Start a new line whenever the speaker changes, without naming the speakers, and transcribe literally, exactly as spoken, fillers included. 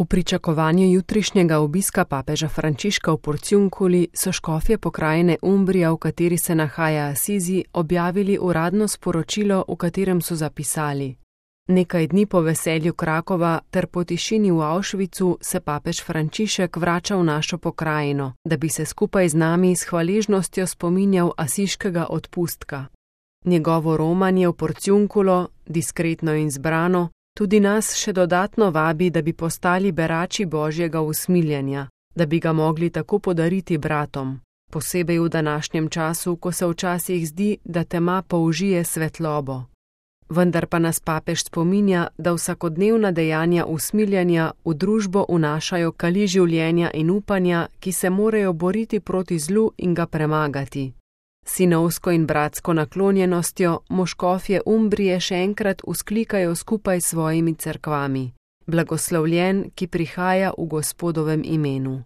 V pričakovanju jutrišnjega obiska papeža Frančiška v Porciunculi so škofje pokrajine Umbrija, v kateri se nahaja Asizi, objavili uradno sporočilo, v katerem so zapisali: Nekaj dni po veselju Krakova ter po tišini v Auschwitzu se papež Frančišek vrača v našo pokrajino, da bi se skupaj z nami s hvaležnostjo spominjal asiškega odpustka. Njegovo romanje v Porciunculo, diskretno in zbrano, tudi nas še dodatno vabi, da bi postali berači Božjega usmiljenja, da bi ga mogli tako podariti bratom, posebej v današnjem času, ko se včasih zdi, da tema použije svetlobo. Vendar pa nas papež spominja, da vsakodnevna dejanja usmiljenja v družbo vnašajo kali življenja in upanja, ki se morajo boriti proti zlu in ga premagati. Sinovsko in bratsko naklonjenostjo moškofje Umbrije še enkrat vzklikajo skupaj s svojimi cerkvami: Blagoslovljen, ki prihaja v Gospodovem imenu.